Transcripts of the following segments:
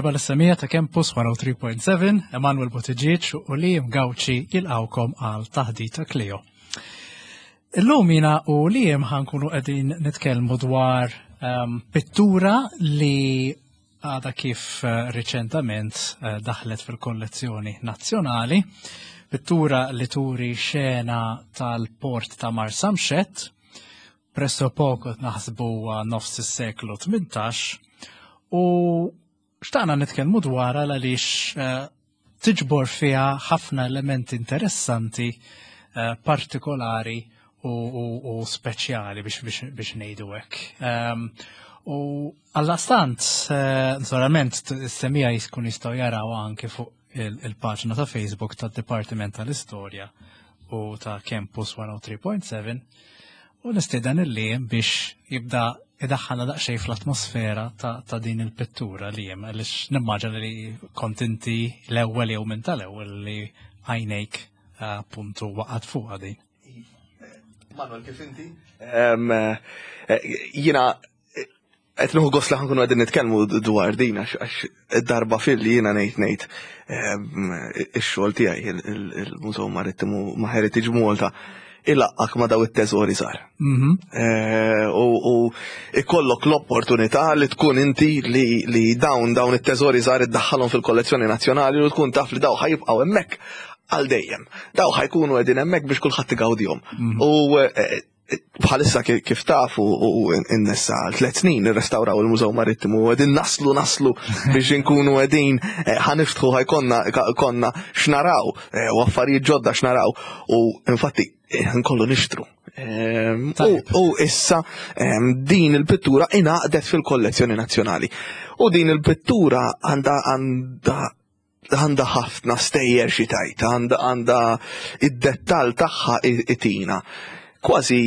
Merħba lis-semija ta' Campus 103.7, Emanuel Buttigieg u Liam Gauci jilqawkom għal taħdita Clio. Illum jina u Liam ħankunu qegħdin nitkellmu dwar um, pittura li għada kif eh, riċentament eh, daħlet fil-kollezzjoni nazzjonali, pittura li turi xena tal-port ta' Marsamxett, presso poco naħsbu nofs is-seklu 18 u xtaqna nitkellmu dwarha għaliex eh, tiġbor fiha ħafna elementi interessanti eh, partikolari u, u, u speċjali biex, biex, biex ngħidu hekk. Um, u għallastant, eh, naturalment, s-semija jkun jistgħu jaraw anke fuq il-paġna ta' Facebook tad-Dipartiment tal-Istorja u ta' Campus 103.7 u nistieden il biex jibda idaħħalna daqsxejn fl-atmosfera ta', ta din il-pittura li jem, għaliex nimmaġina li kont inti l-ewwel jew minn tal-ewwel li għajnejk eh, appuntu waqgħet fuqha din. Manuel, kif inti? Eh, jina Qed nieħu gost li ħankunu qegħdin nitkellmu dwar din għax darba fil jiena ngħid ngħid ehm, ix-xogħol tiegħi il-Mużew Marittimu ma' Heritage Malta ilaqqak ma' daw it-teżori żgħar. Mhm. Eh, u ikollok l-opportunità li tkun inti li dawn dawn it-teżori żgħar iddaħħalhom fil-kollezzjoni nazzjonali u tkun taf li daw ħajibqgħu hemmhekk għal dejjem. Daw ħajkunu qegħdin hemmhekk biex kulħadd igawdihom. Mhm. U eh, bħalissa kif tafu u n-nessa għal tlet snin nirrestawraw il-Mużew Marittimu u għedin naslu naslu biex inkunu għedin eh, ħaniftħu ħajkonna konna x'naraw eh, u affarijiet ġodda x'naraw u infatti eh, nkollu nixtru. Ehm, u issa ehm, din il-pittura ingħaqdet fil-kollezzjoni nazzjonali. U din il-pittura għandha għandha għandha ħafna stejjer xi tajt, għandha għandha id-dettall tagħha itina. Kważi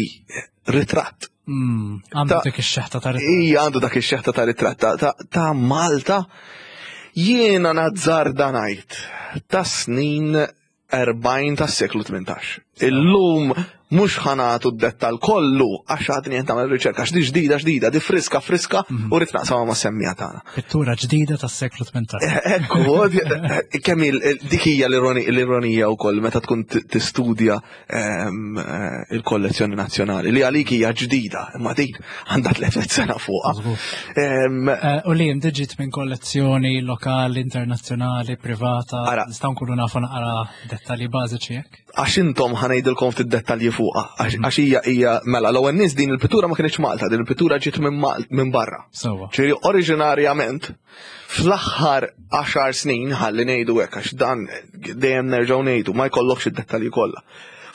ritratt. Mm, għandu dik ix-xeħta ta' ritratt. Ija għandu dak ix-xeħta ta' ritratt ta' Malta. Jiena nazzarda ngħid ta' snin 40 tas-seklu 18. Illum mhux ħanatu d-dettal kollu għax għadni qed nagħmel riċerka għax di ġdida ġdida, di friska friska mhm. u rrid naqsamha ma' semmija tagħna. Pittura ġdida tas-seklu 18. Eh, ekku, eh, kemm dik hija l-ironija wkoll meta tkun tistudja ehm, eh, il-kollezzjoni nazzjonali li għalik hija ġdida, imma din għandha 300 sena fuqha. Ehm, u li ġiet minn kollezzjoni lokali, internazzjonali, privata, nistgħu nkunu nafu naqra dettalji bażiċi hekk. Għax intom ħanejdilkom ftit dettalji fuqha, għax hija hija mela l-ewwel nies din il-pittura ma kienx Malta, din il-pittura ġiet minn barra. Sewwa. Ġifieri oriġinarjament fl-aħħar 10 snin ħalli ngħidu hekk għax dan dejjem nerġgħu ngħidu ma jkollokx id-dettalji kollha.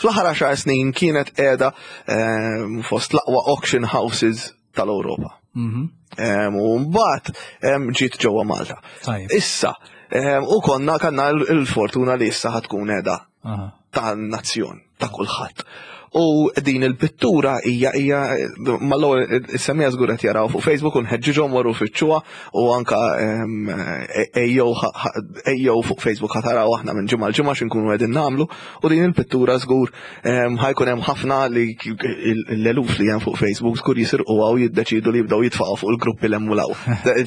Fl-aħħar 10 snin kienet qiegħda ehm, fost l-aqwa auction houses tal-Ewropa. Mhm. U mbagħad ġiet ġewwa Malta. Issa, u konna kanna l-fortuna li issa ħatkun qiegħda tan-nazzjon, ta' kulħadd. U din il-pittura hija hija mal-ewwel is-semija żgur qed jaraw fuq Facebook u nħeġġiġhom waru fittxuha u anka ejjew fuq Facebook ħataraw aħna minn ġimgħa l-ġimgħa x'inkunu qegħdin nagħmlu u din il-pittura żgur Ħajkun hemm ħafna li l-eluf li hemm fuq Facebook żgur jisirquha u jiddeċidu li jibdew jitfaqgħu fuq il-gruppi l hemm u law.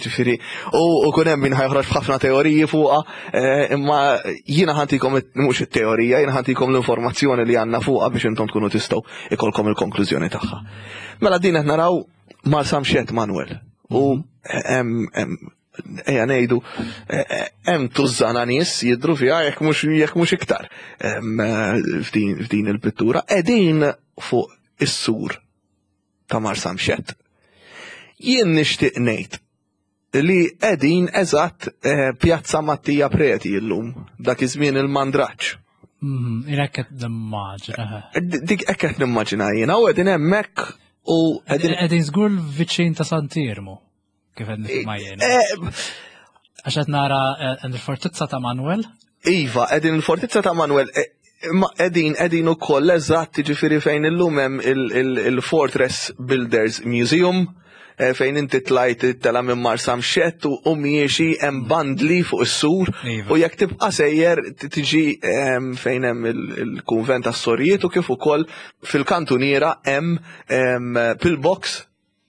Ġifieri, u kun hemm min ħajħroġ b'ħafna teoriji fuqha, eh, imma jiena ħantikom mhux it-teorija, jiena ħantikom l-informazzjoni li għandna fuqha biex intom tkunu tistgħu ikolkom il-konklużjoni tagħha. Mela din qed naraw Marsamxett Manuel. U hemm ejja ngħidu eh, eh, hemm tużżana nies jidhru fiha jekk mhux jekk mhux iktar eh, f'din il-pittura qegħdin fuq is-sur ta' Marsamxett. Jien nixtieq ngħid li qegħdin eżatt Pjazza Mattia Preti llum dak iż-żmien il-Mandraġġ. Mm, Hekk qed nimmaġina. Dik hekk qed nimmaġina jiena u qegħdin hemmhekk u qegħdin qegħdin żgur viċin ta' Sant'Iermu. Kif qed nifhimha jien. Eh, Għax qed nara eh, il-fortizza ta' Manuel. Iva, qegħdin il-fortizza ta' Manuel, eh, ma qegħdin qegħdin ukoll eżatt jiġifieri fejn illum hemm il-Fortress Builders Museum fejn inti tlajt tela minn Marsamxett u miexi hemm bandli fuq is-sur iva. u jekk tibqa' sejjer tiġi ehm, fejn hemm il-kunvent tas-sorijiet u kif ukoll fil-kantuniera hemm ehm, pillbox.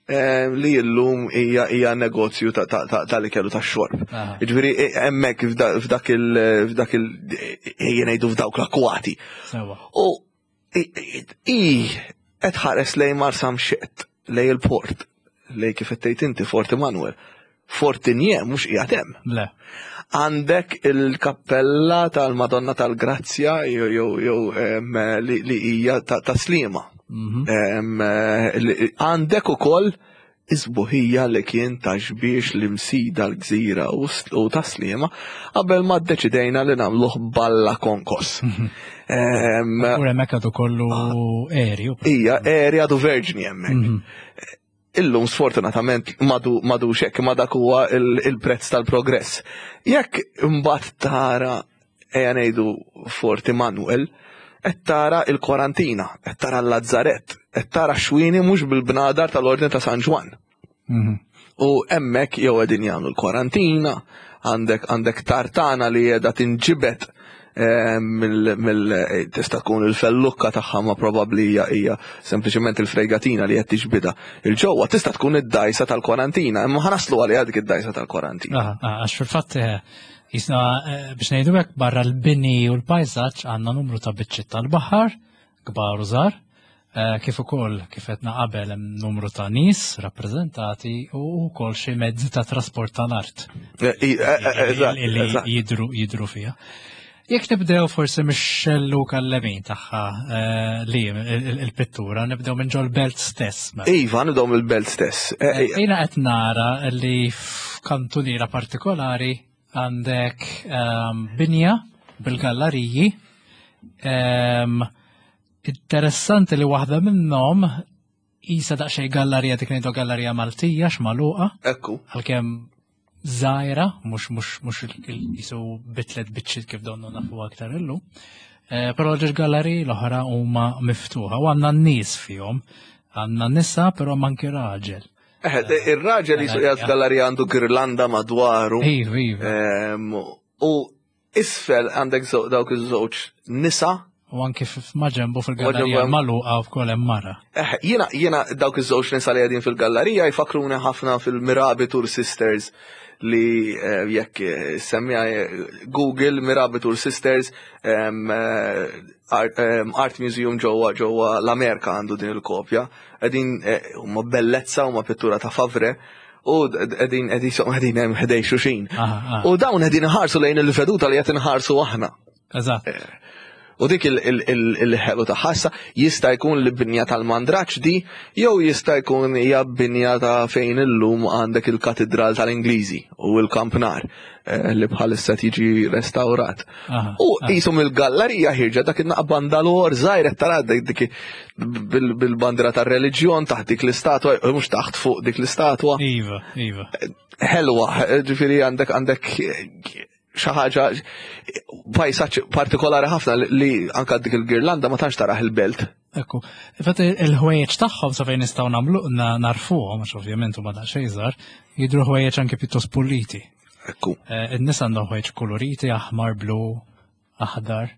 li illum hija hija negozju tal-ikel u tax-xorb. Jiġifieri hemmhekk f'dak il f'dak il ejja ngħidu f'dawk l-akwati. U i qed ħares lejn Marsamxett, lejn il-port, lejn kif qed tgħid inti Fort Immanuel. Fort Tigné mhux qiegħed hemm. Le. Għandek il-kappella tal-Madonna tal-Grazzja jew jew li hija ta' Sliema. Għandek ukoll is-sbuħija li kien ta' Xbiex l-Imsida l-Gżira u ta' Sliema qabel ma ddeċidejna li nagħmluh balla konkos. U hemmhekk għadu kollu erju. Ija, eri għadu verġni hemmhekk. Illum sfortunatament madu madux hekk ma dak huwa il-prezz tal-progress. Jekk imbagħad tara ejja ngħidu Fort Immanuel, qed tara il-kwarantina, qed tara l-Lazzarett, qed tara xwini mhux bil-bnadar tal-Ordni ta' San Ġwann. U hemmhekk jew qegħdin jagħmlu l-kwarantina, għandek għandek tartana li qiegħda tinġibed mill tista' tkun il-fellukka tagħha ma probabbli hija hija sempliċement il-fregatina li qed tiġbidha. Il-ġewwa tista' tkun id-dajsa tal-kwarantina, imma ħa naslu għaliha dik id-dajsa tal-kwarantina. Għax fil-fatt jisna biex ngħidu hekk barra l-bini u l-pajsaġġ għandna numru ta' biċċiet tal-baħar kbar u żgħar, kif ukoll kif qedna qabel hemm numru ta' nies rappreżentati u wkoll xi mezzi ta' trasport tal-art. Li jidru jidru fiha. Jekk nibdew forsi mix-xellu kallemin tagħha li il-pittura, nibdew minn ġol-belt stess. Mela. Iva, nibdew mill-belt stess. Jiena qed nara li f'kantuniera partikolari għandek binja bil-gallariji. Interessanti li waħda minnhom isa daqsxejn gallerija dik ngħidu gallerija Maltija x'magħluqa. Ekku. Għalkemm żgħira, mhux mhux mhux jisu bitlet biċċiet kif donnu nafu aktar illum. Però ġiex galleriji l-oħra huma miftuħa u għandna n-nies fihom. Għandna nisa però manki raġel. Ir-raġel jisu qiegħed f'gallerija għandu girlanda madwaru. Iva, iva. U isfel għandek dawk iż-żewġ nisa. U anki maġenbu fil-gallerija magħluqa wkoll hemm mara. Jiena dawk iż-żewġ nisa li qegħdin fil-gallerija jfakruni ħafna fil-Mirabitur Sisters li jekk semmija Google Mirabitur Sisters Art Museum ġewwa ġewwa l-Amerika għandu din il-kopja. Qegħdin huma bellezza huma pittura ta' Favre. U qegħdin qegħdin qegħdin hemm ħdej xuxin. U dawn qegħdin iħarsu lejn il-veduta li qed inħarsu aħna. Eżatt. U dik il-ħelu ta' ħassa jista' jkun li binja tal-mandraġġ di, jew jista' jkun hija binja ta' fejn illum għandek il-katedral tal-Ingliżi u l-kampnar li bħalissa tiġi restawrat. U qishom il-gallerija ħirġa dak in-naqba bandalor żgħir qed tara dik bil-bandra tar-reliġjon taħt dik l-istatwa, mhux taħt fuq dik l-istatwa. Iva, iva. Ħelwa, ġifieri għandek għandek xi ħaġa pajsaġġ partikolari ħafna li anka dik il-girlanda ma tantx taraħ il-belt. Ekku, infatti il-ħwejjeġ tagħhom sa fejn nistgħu nagħmlu narfuhom, għax ovvjament huma daqsxejn żgħar, jidhru ħwejjeġ anke pjuttost puliti. Ekku. In-nies għandhom ħwejjeġ koloriti, aħmar, blu, aħdar,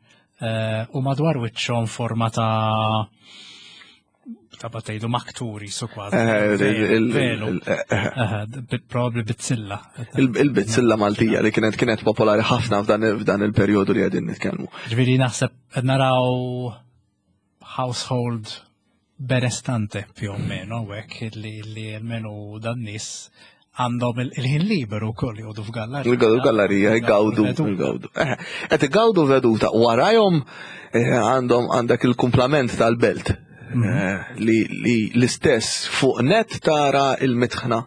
u madwar wiċċhom forma ta' ta' tgħidu makturi su kważi. Velu. Probabli bizzilla. Il-bizzilla Maltija li kienet kienet popolari ħafna f'dan il-perjodu li qegħdin nitkellmu. Ġifieri naħseb qed naraw household benestante più o meno, hekk li almenu dan nies għandhom il-ħin liberu wkoll joqogħdu f'gallerija. Jgawdu gallerija, jgawdu, jgawdu. Qed igawdu veduta warajhom għandhom għandek il-kumplament tal-belt. Li l-istess fuq net tara il-mitħna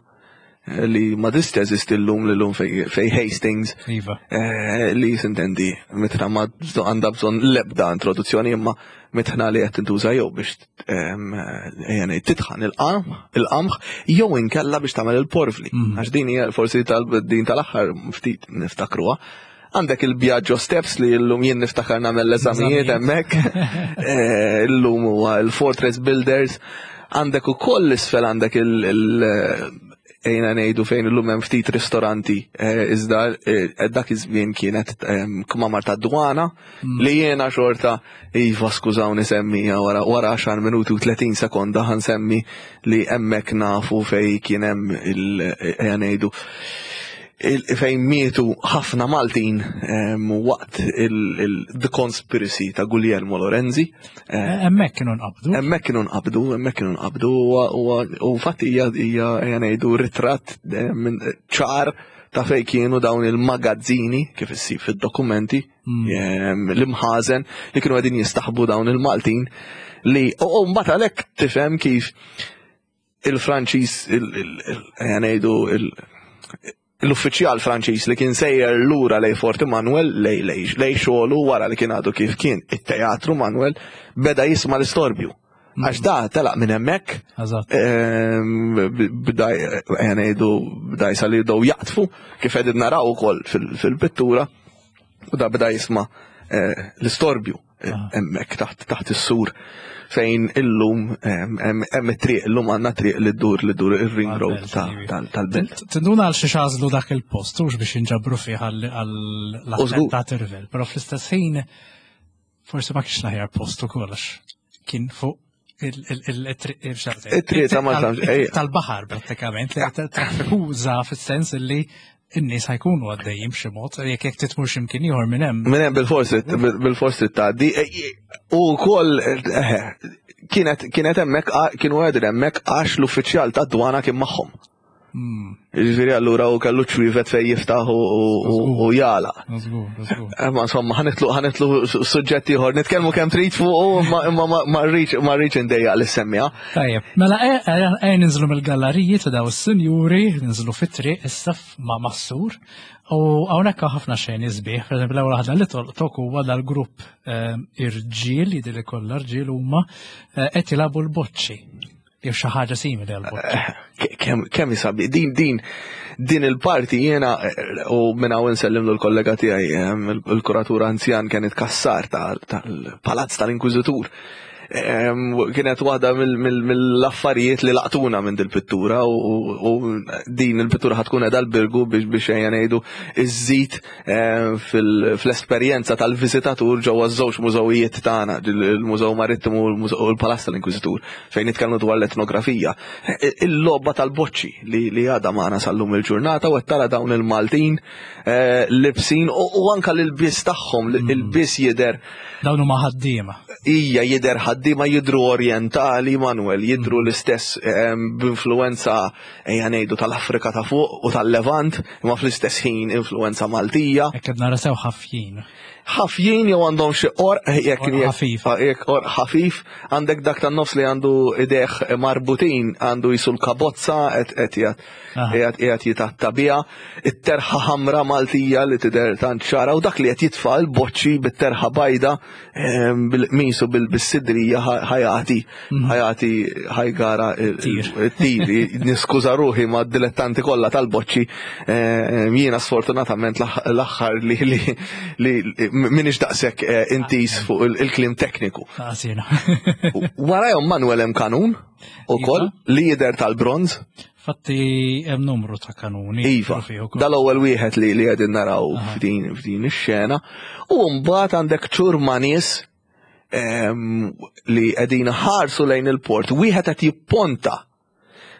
li ma tista' teżisti llum li llum fej Hastings. Iva. Li sintendi mitħna ma għandha bżonn l-ebda introduzzjoni imma mitħna li qed tintuża jew biex ejja ngħid titħan il-qamħ jew inkella biex tagħmel il-porvli. Għax din hija forsi din tal-aħħar ftit niftakruha. Għandek il-Biagio Steps li llum jien niftakar nagħmel l-eżamijiet hemmhekk. Illum huwa il-Fortress Builders. Għandek ukoll isfel għandek ejna ngħidu fejn illum hemm ftit ristoranti eh, iżda eh, dak iż-żmien kienet ehm, kmamar ta' dwana mm. li jiena xorta iva skużawni semmija wara wara 10 minuti u 30 sekonda ħansemmi li hemmhekk nafu fej kien hemm il ejja ngħidu fejn mietu ħafna Maltin ehm, waqt il-The Conspiracy ta' Guglielmo Lorenzi. Eh, hemmhekk kienu nqabdu. Hemmhekk kienu nqabdu, hemmhekk kienu nqabdu u fatti hija hija ngħidu ritratt eh, ċar ta' fejn kienu dawn il-magazzini kif issib fid-dokumenti mm. l-imħażen li kienu qegħdin jistaħbu dawn il-Maltin li u mbagħad għalhekk tifhem kif il-Franċiż ngħidu l-uffiċjal Franċiż li kien sejjer lura lej Forti Manuel lej lej lej xogħlu wara li kien għadu kif kien it-teatru Manuel beda jisma' l-istorbju. Mm. Għax da telaq minn hemmhekk. Ehm, bda ngħidu bda jisal jibdew jaqtfu kif qegħdin naraw ukoll fil-pittura u da bda jisma' eh, l-istorbju. Ah. hemmhekk taħt taħt is-sur fejn illum hemm it-triq illum għandna triq li ddur li ddur ir-ring road tal-belt. Tinduna għal xi xażlu dak il-post hux biex inġabru fih għall-attentat irvel, però fl-istess ħin forsi ma kienx l-aħjar post ukoll għax kien fuq il-triq ta' Malta. Tal-baħar prattikament, li traffikuża fis-sens li n-nies ħajkunu għaddejjin b'xi mod, jekk jekk titmur x'imkien ieħor minn hemm. Minn hemm bil-forsi bil-forsi tgħaddi. U wkoll eh, kienet kienet hemmhekk kienu qegħdin hemmhekk għax l-uffiċjal tad-dwana kien magħhom. Hmm. Ġifieri allura u kellu ċwievet fejn jiftaħ u jala. Ma insomma ħanitlu ħanitlu suġġett ieħor, nitkellmu kemm trid fuq imma ma rridx ma rridx indejjaq li semmija. Tajjeb, mela e, e, e, ninżlu mill-galleriji ta' daw is-sinjuri, ninżlu fit-triq issa ma' massur u hawnhekk ħafna xejn isbieħ, pereżempju l-ewwel waħda li tolqtok huwa dal-grupp irġiel, jidhir li kollha rġiel huma qed jilagħbu l-boċċi. Jew xi ħaġa simili għal boċċi. Eh, kemm isabi, din din din il-parti jiena eh, u minn hawn insellimlu l-kollega tiegħi eh, il-kuratur anzjan kien itkassar tal-Palazz tal-Inkwiżitur. Kienet waħda mill-affarijiet li laqtuna minn dil-pittura u din il-pittura ħatkun qiegħda l-birgu biex biex ejja ngħidu iżżid Eh, fl-esperjenza tal-viżitatur ġewwa ż-żewġ mużewijiet tagħna, il-Mużew Marittimu u l-Palazz tal-Inkwiżitur, fejn nitkellmu dwar l-etnografija. Eh, il-logħba tal-boċċi li għadha magħna sal-lum il-ġurnata u qed tara dawn il-Maltin eh, libsin u anka l-ilbies tagħhom, mm. il-bies jidher. Dawn huma ħaddiema. Ija jidher ħaddiema jidru orjentali, Manuel, jidru mm. l-istess b'influenza ejja ngħidu tal-Afrika ta' fuq u tal-Levant, imma fl-istess ħin influenza Maltija. Hekk qed nara sew ħafjin. Ħafjin jew għandhom xi qorq jekk ħafif. Jekk qorq ħafif, għandek dak tan-nofs li għandu idejh marbutin, għandu jisu l-kabozza qed qiegħed jitatta biha, it-terħa ħamra Maltija li tidher tant ċara u dak li qed jitfa' l-boċċi bit-terħa bajda bil-qmis u bil-sidrija ħajati mhm. ħajati ħajgara tir. Niskuża ruħi ma' dilettanti kollha tal-boċċi eh, jiena sfortunatament l-aħħar li li minix daqshekk eh, intis fuq il-klim tekniku. Warajhom Manuel hemm kanun ukoll iva. li jidher tal-bronz. Fatti hemm numru ta' kanuni. Iva, dal-ewwel wieħed li li qegħdin naraw f'din f'din ix-xena. U mbagħad għandek ċurma nies ehm, li qegħdin ħarsu lejn il-port, wieħed qed jipponta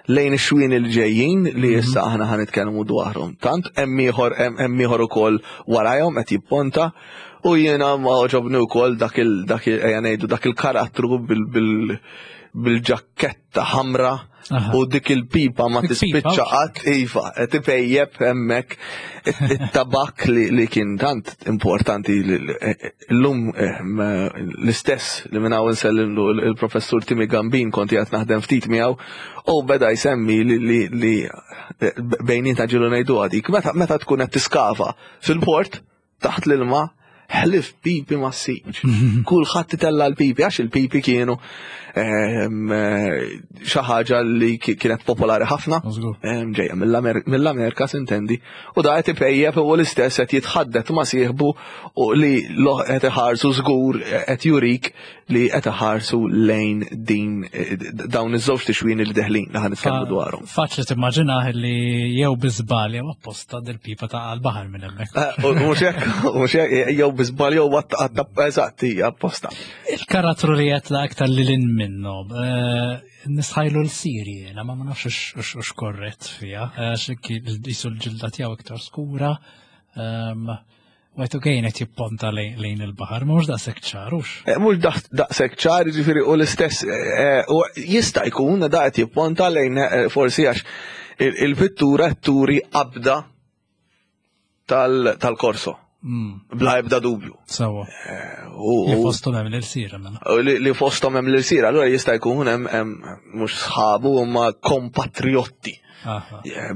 lejn ix-xwien il-ġejjin li mhm. issa aħna ħan nitkellmu dwarhom. Tant hemm ieħor hemm ieħor ukoll warajhom qed jipponta u jiena ma oġobni wkoll dak il dak il ejja ngħidu dak il-karattru bil-ġakketta ta' ħamra u dik il-pipa ma tispiċċa qatt iva, qed ipejjeb hemmhekk it-tabak li kien tant importanti llum eh, l-istess li minn hawn insellimlu il-professur Timi Gambin kont qiegħed naħdem ftit miegħu u beda jsemmi li eh, bejnietna ġilu ngħidu dik meta tkun qed tiskava fil-port taħt l-ilma. Ħlif pipi ma ssibx. Kulħadd itella l-pipi għax il-pipi kienu ehm, xi ħaġa li kienet popolari ħafna. Ehm, ġejja mill-Amerika sintendi. U da qed ipejjep u l-istess qed jitħaddet ma' sieħbu u li qed iħarsu żgur qed jurik li qed iħarsu lejn din dawn iż-żewġ tixwin li deħlin li ħan nitkellmu dwarhom. Faċli timmaġinah li jew bi żball jew apposta dil-pipa ta' għall-baħar minn hemmhekk. Eh, mhux hekk, mhux hekk, jew bi żball jew eżatt hija apposta. Il-karattru li qed la aktar lil hinn minnhom, eh, nistħajlu l-Siri jiena ma ma nafx hux korrett fiha, għax jisu l-ġilda tiegħu iktar skura. Ehm, Għajtu għejn qed jipponta lejn il-baħar, ma mhux daqshekk ċar, hux? Eh, mhux daqshekk ċar, jiġifieri u l-istess eh, u jista' jkun da qed jipponta lejn eh, forsi għax il-pittura qed turi qabda tal-korso. Bla ebda dubju. Sawa. Li fosthom hemm l-irsira mela. Li fosthom hemm l-irsira, allura jista' jkun hemm mhux sħabu huma kompatriotti.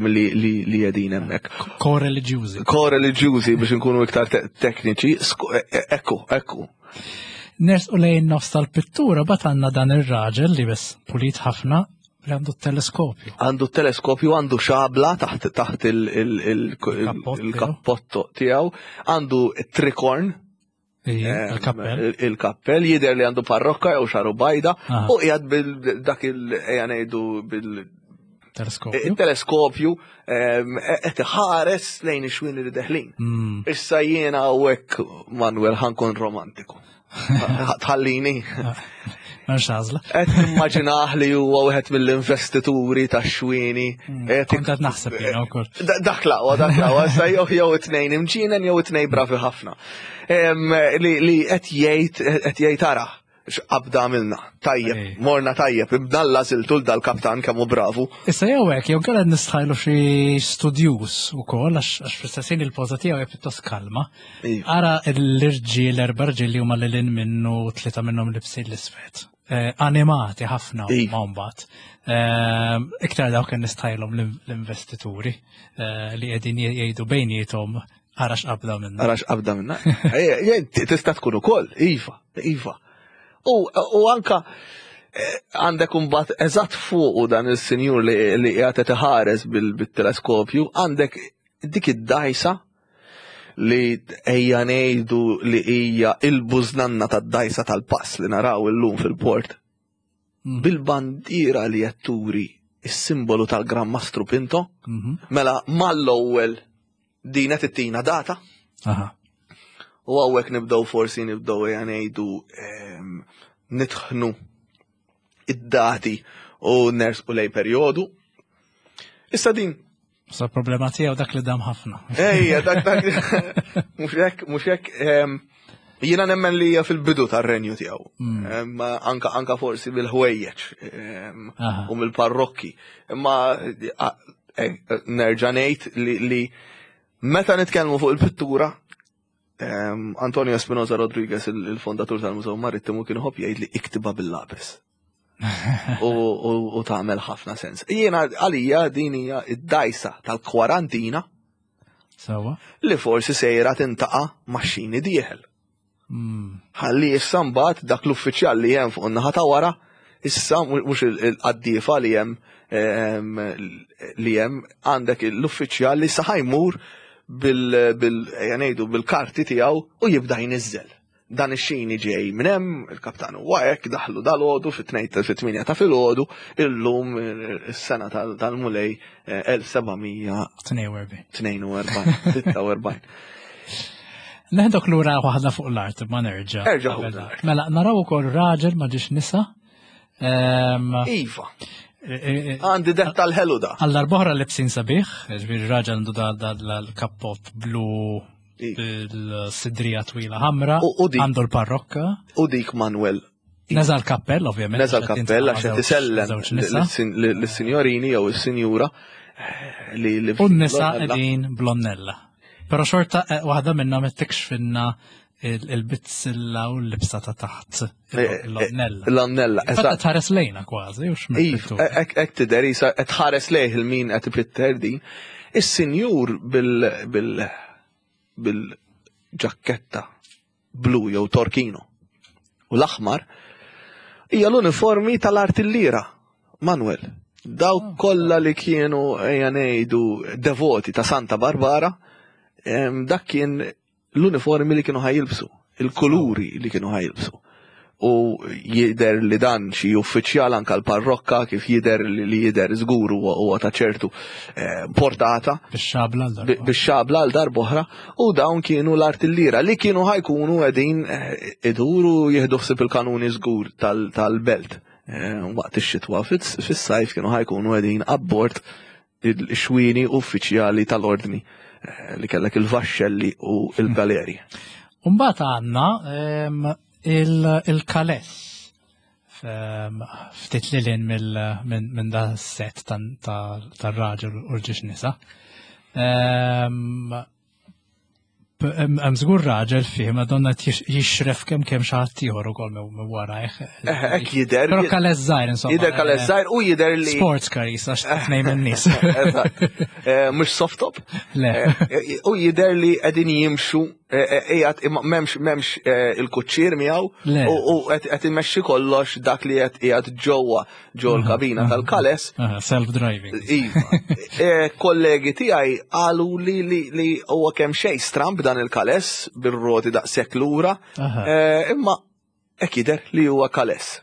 Li li jedin hemmhekk. Ko-reliġjużi. Ko-reliġjużi biex nkunu iktar tekniċi, e, e, ekku, ekku. Ners u lejn nofs tal-pittura bat għandna dan ir-raġel li bes pulit ħafna li għandu t-teleskopju. Għandu t-teleskopju, għandu xabla taħt taħt il-kappotto tiegħu, għandu trikorn Il-kappell. Il-kappell jidher li għandu parrokka jew xaru bajda u qiegħed bil dak il ejja ngħidu bil Teleskopju. Il-teleskopju qed iħares lejn ix-xwien li deħlin. Hmm. Issa jiena hawnhekk Manuel ħankun romantiku. Tħallini. M'hemmx għażla. Qed nimmaġinah li huwa wieħed mill-investituri tax-xwieni. Hmm, kont qed naħseb jiena wkoll. Dak laqwa, dak laqwa, sa jew jew it-tnejn imġienen jew it-tnejn bravi ħafna. Li qed jgħid qed jgħid ara x'qabda għamilna. Tajjeb, morna tajjeb, ibdalla siltu dal-kaptan kemm hu bravu. Issa jew hekk, jew kellha nistħajlu xi studjuż ukoll għax fl-istess ħin il-poża tiegħu hija pjuttost kalma. Iva. Ara l-irġiel, erba' rġiel li huma lilin minnu tlieta minnhom libsin l-isfed. Eh, animati ħafna iva. ma mbagħad. Eh, iktar dawk kien nistajlhom l-investituri eh, li qegħdin jgħidu bejniethom ara x'qabda minna. Ara x'qabda minna. Tista' tkun ukoll, iva, iva. U anka għandek imbagħad eżatt fuqu dan il-sinjur li qiegħed iħares bil-teleskopju, għandek dik id-dajsa li ejja ngħidu li hija il-bużnanna tad-dajsa tal-pass li naraw illum fil-port. Mm. Bil-bandiera li qed turi is-simbolu tal-Gran Mastru Pinto, mhm. mela mal-ewwel din qed ittina data. U hawnhekk nibdew forsi nibdew ejja ngħidu ehm, nitħnu id-dati u nersqu lej perjodu. Issa din Sa problema tiegħu dak li dam ħafna. Ejja, dak dak. Mhux hekk, mhux hekk. Ehm, jiena nemmen li hija fil-bidu tar-renju tiegħu. Mm. Ehm, anka anka forsi bil-ħwejjeġ ehm, u mill-parrokki. Imma eh, nerġa' ngħid li meta nitkellmu fuq il-pittura, Antonio Espinosa Rodriguez, il-fondatur tal-Mużew Marittimu, kien iħobb jgħid li iktiba bil-lapis. U tagħmel ħafna sens. Jiena għalija din hija id-dajsa tal-kwarantina. Sawa. Li forsi sejra tintaqa' max-xini dieħel. Hmm. Ħalli issa mbagħad dak l-uffiċjal li hemm fuq in-naħa ta' wara, issa mhux il-qaddiefa li hemm ehm, li hemm għandek l-uffiċjal li issa ħajmur bil ngħidu bil-karti tiegħu u jibda jniżżel. Dan ix-xini ġej minn hemm, il-kaptan huwa hekk, daħlu dal-għodu fit-tnejn fit-tmienja ta' filgħodu, illum is-sena tal-Mulej 1742. 46. Neħdok lura waħda fuq l-art, ma nerġa'. Erġa' l-art. Mela, naraw ukoll raġel ma ġiex nisa. Ehm, iva. E, e, e, Għandi det tal-ħelu da. Għall-arbohra libsin sabiħ, ġbir raġel għandu da l-kappot blu bil-sidrija twila ħamra, għandu l-parrokka. U dik Manuel Neza l-kappell, ovvjament. Neza l-kappell, għax qed isellem lis-sinjorini jew is-sinjura eh, li U n-nisa qegħdin blonnella. Però xorta eh, waħda minnhom qed tikxfinna il-bizzilla u l-libsa ta' taħt eh, l-onnella. L-onnella, eżatt. Tħares lejna kważi, u x'mill. Ek tidher isa qed tħares lejh il-min qed ipitter din. Is-sinjur bil bil bil-ġakketta. blu jew torkino. U l-aħmar hija l-uniformi tal-artillira, Manuel. Dawk ah. kollha li kienu ejja ngħidu devoti ta' Santa Barbara, dak kien l-uniformi li kienu ħajilbsu, il-kuluri li kienu ħajilbsu. U jider li dan xi uffiċjal anka l-parrokka kif jider li jider żgur huwa ta' ċertu eh, portata. Bix-xabla għal darba. Bix-xabla għal darb'oħra u dawn kienu l-artillira li kienu ħajkunu qegħdin eh, iduru jieħdu ħsieb il-kanuni żgur tal-belt. Eh, waqt ix-xitwa fis-sajf kienu ħajkunu qegħdin abbord il-xwieni uffiċjali tal-ordni eh, li kellek il-vaxxelli u il-galeri. Umbat għanna ehm, il-kales ehm, ftit li lin minn da set tal-raġel u l-ġiex nisa. Ehm, Hemm żgur raġel fih ma donna jixref kemm kemm xi ħadd ieħor ukoll minn warajh. Eh, hekk jidher. Però kalez żgħir insomma. Jidher kalez eh, żgħir u jidher li. Sports car jisa tnejn min-nies. Eh, mhux soft top. Le. U jidher li qegħdin jimxu qiegħed imma m'hemmx m'hemmx il-kuċċier miegħu u qed imexxi kollox dak li qed qiegħed ġewwa ġo l-kabina tal-kales. Self-driving. Iva. E, kollegi tiegħi qalu li li huwa kemm xejn stramb dan il-kales bir-roti daqshekk lura. E, imma hekk jidher li huwa kales.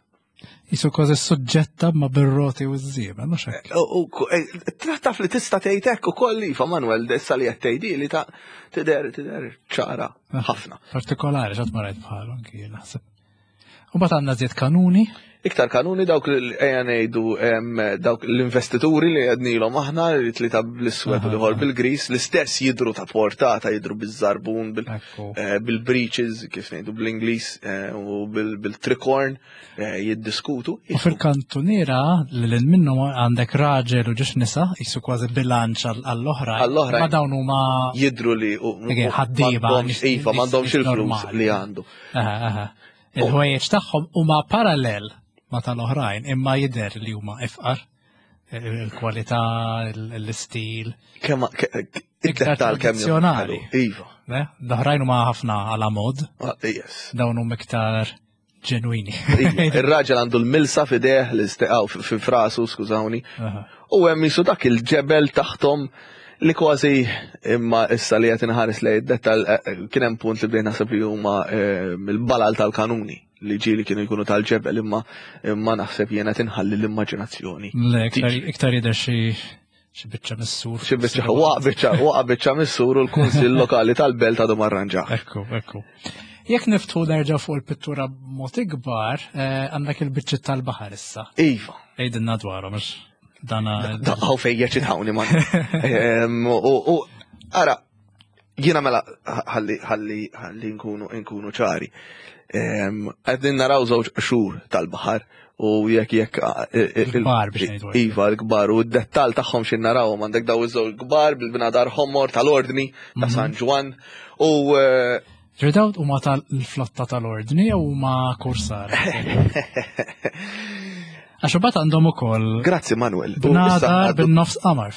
Jisu kważi suġġetta ma bir-roti u z-żiema, mhux hekk. E, taf li tista' tgħid hekk ukoll iva Manuel issa li qed tgħidi li ta' tidher tidher ċara ħafna. Partikolari x'għad ma rajt bħalu anki naħseb. U bat għandna żied kanuni. Iktar kanuni dawk li ejja ngħidu dawk l-investituri li għednilhom aħna li tlieta bl-iswed u l-ieħor bil-gris, l-istess jidru ta' portata, jidru biż-żarbun, eh, bil-breaches, kif ngħidu bl-Ingliż, eh, u bil-tricorn eh, jiddiskutu. U fil-kantuniera li l minnu għandek raġel u ġiex nisa, jisu kważi bilanċ għall-oħra. Għall-oħra. Ma dawn huma jidru li ħaddiema. Iva, m'għandhomx il-flus li għandu. Il-ħwejjeġ tagħhom huma parallel ma tal-oħrajn imma jidher li huma ifqar il-kwalità, l-istil. Kemm iktar tradizzjonali. Iva. L-oħrajn huma ħafna għala mod. Ah, yes. Dawn huma iktar ġenwini. Iva, ir-raġel għandu l-milsa f'ideh l-isteqaw fi frasu, skużawni. U hemm jisu dak il-ġebel taħtom li kważi imma issa li qed inħares lejn id-dettal eh, eh, kien hemm punt li bdejn naħseb li huma eh, mill-balal tal-kanuni li ġieli kienu jkunu tal-ġebel imma imma naħseb jiena tinħalli l-immaġinazzjoni. Le, iktar jidher xi xi biċċa mis-sur. Xi biċċa waqa' biċċa waqa' biċċa mis-sur u l-Kunsill Lokali tal-Belt għadu marranġa. Ekku, ekku. Jekk niftħu nerġa' fuq il-pittura b'mod ikbar, għandek il-biċċiet tal-baħar issa. Iva. Għidilna dwarhom għax dana. Daqqaw fejn jeċitawni man. U ara, jiena mela ħalli ħalli ħalli nkunu nkunu ċari. Qegħdin naraw żewġ qxur tal-baħar u jekk jekk il-kbar biex ngħidu. Iva, l-kbar u d-dettal tagħhom xi narawhom għandek daw iż-żewġ kbar bil-bnadar ħomor tal-ordni ta' mhm. San Ġwann u eh, Ġridaw huma tal-flotta tal-ordni jew huma kursar? Għax imbagħad għandhom ukoll. Grazzi Manuel. Bnadar bin-nofs qamar.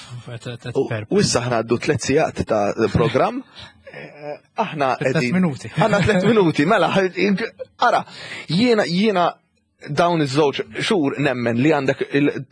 U issa ħna għaddu tliet sigħat ta' programm. Eh, aħna qegħdin. minuti. Għandna tliet minuti, mela, ara, jiena jiena dawn iż-żewġ xhur nemmen li għandek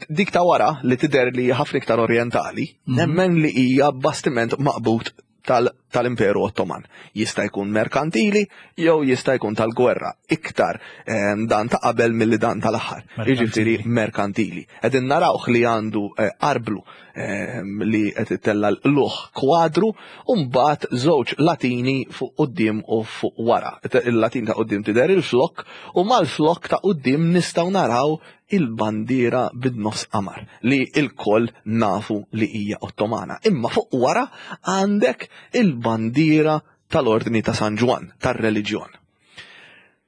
dik ta' wara li tidher li ħafna iktar orjentali, mhm. nemmen li hija bastiment maqbut tal-Imperu Ottoman. Jista' jkun merkantili jew jista' jkun tal-gwerra. Iktar ehm, dan ta' qabel milli dan tal-aħħar. Jiġifieri merkantili. Qegħdin narawh li għandu eh, arblu ehm, li qed itella l-luħ kwadru u mbagħad żewġ latini fuq quddiem u fuq wara. Il-latin ta' quddiem tidher il-flokk u mal-flokk ta' quddiem nistgħu naraw il-bandiera bid-nofs qamar li lkoll nafu li hija Ottomana. Imma fuq wara għandek il-bandiera tal-Ordni ta' San Ġwann, tar-reliġjon.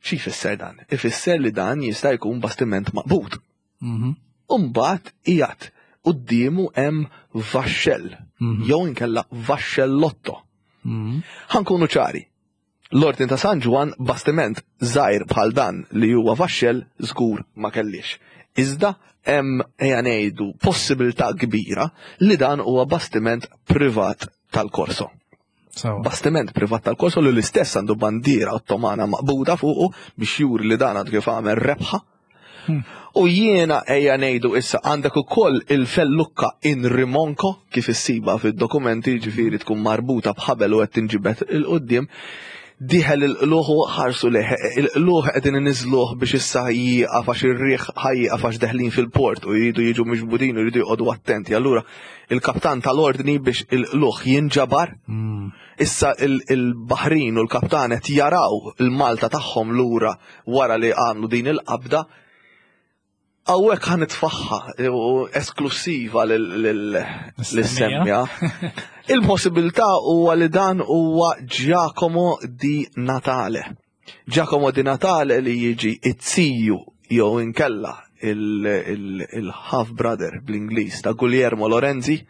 Xi jfisser dan? Ifisser li dan jista' jkun bastiment maqbud. Mhm. U mbagħad qiegħed quddiemu hemm vaxxell mhm. jew inkella vaxxellotto. Mhm. Ħankunu ċari, L-Ordni ta' San Ġwann bastiment żgħir bħal dan li huwa vaxxell żgur ma kellhiex. Iżda hemm ejja ngħidu possibilità kbira li dan huwa bastiment privat tal-Corso. Bastiment privat tal-Korso li l-istess għandu bandiera Ottomana maqbuda fuqu biex juri li dan għandu kif għamel rebħa. U jiena ejja ngħidu issa għandek ukoll il-fellukka in rimonko kif issiba fid-dokumenti ġifieri tkun marbuta b'ħabel u qed tinġibed 'il quddiem. Dieħel il-qluħ u ħarsu lejh. Il-qluħ qegħdin iniżżluh biex issa jieqaf għax ir-riħ ħa jieqaf għax deħlin fil-port u jridu jiġu miġbudin u jridu joqogħdu attenti. Allura il-kaptan tal-ordni biex il-qluħ jinġabar. Issa il-baħrin u l-kaptan qed jaraw il-Malta tagħhom lura wara li għamlu din il-qabda. Hawnhekk ħa nitfaħħa u esklusiva lis-semmja. Il-possibilità huwa li dan huwa Giacomo di Natale. Giacomo di Natale li jiġi it-ziju jew inkella il-half brother bl-Ingliż ta' Guglielmo Lorenzi,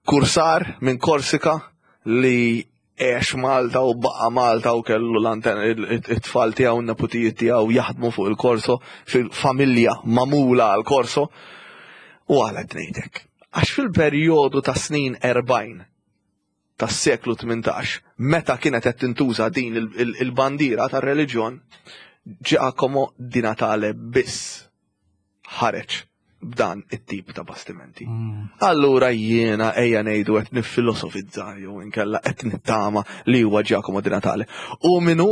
kursar minn Korsika li għex Malta u baqa' Malta u kellu it-tfal tiegħu n-neputijiet tiegħu jaħdmu fuq il-korso fil-familja magħmula għal korso. U għala qed ngħidlek. Għax fil-perjodu ta' snin 40 tas-seklu 18, meta kienet qed tintuża din il-bandiera tar-reliġjon, Giacomo di Natale biss ħareġ b'dan it-tip ta' bastimenti. Allura jiena ejja ngħidu qed niffilosofizza jew inkella qed nittama li huwa Giacomo Di Natale. U minu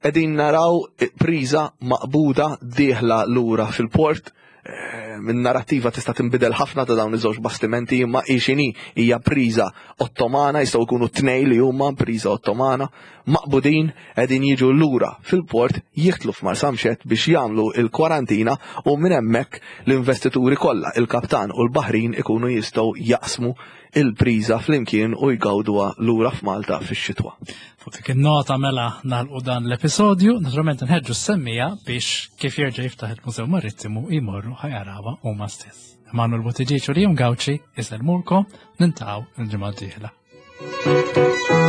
qegħdin naraw priża maqbuda dieħla lura fil-port eh, minn narrattiva tista' tinbidel ħafna ta' dawn iż-żewġ bastimenti imma hi x'inhi hija priża Ottomana jistgħu jkunu tnej li huma priża Ottomana maqbudin qegħdin jiġu lura fil-port jidħlu f'Marsamxett biex jagħmlu l-kwarantina u minn hemmhekk l-investituri kollha, il-kaptan u l-baħrin ikunu jistgħu jaqsmu il-priża flimkien u jgawduha lura f'Malta fix-xitwa. Fuq dik in-nota mela nagħlqu dan l-episodju, naturalment nħeġġu s-semmija biex kif jerġa' jiftaħ il-Mużew Marittimu jmorru ħajarawha huma stess. Emanuel Buttigieg u Liam Gauci isellmulkom, nintaqgħu l-ġimgħa d-dieħla.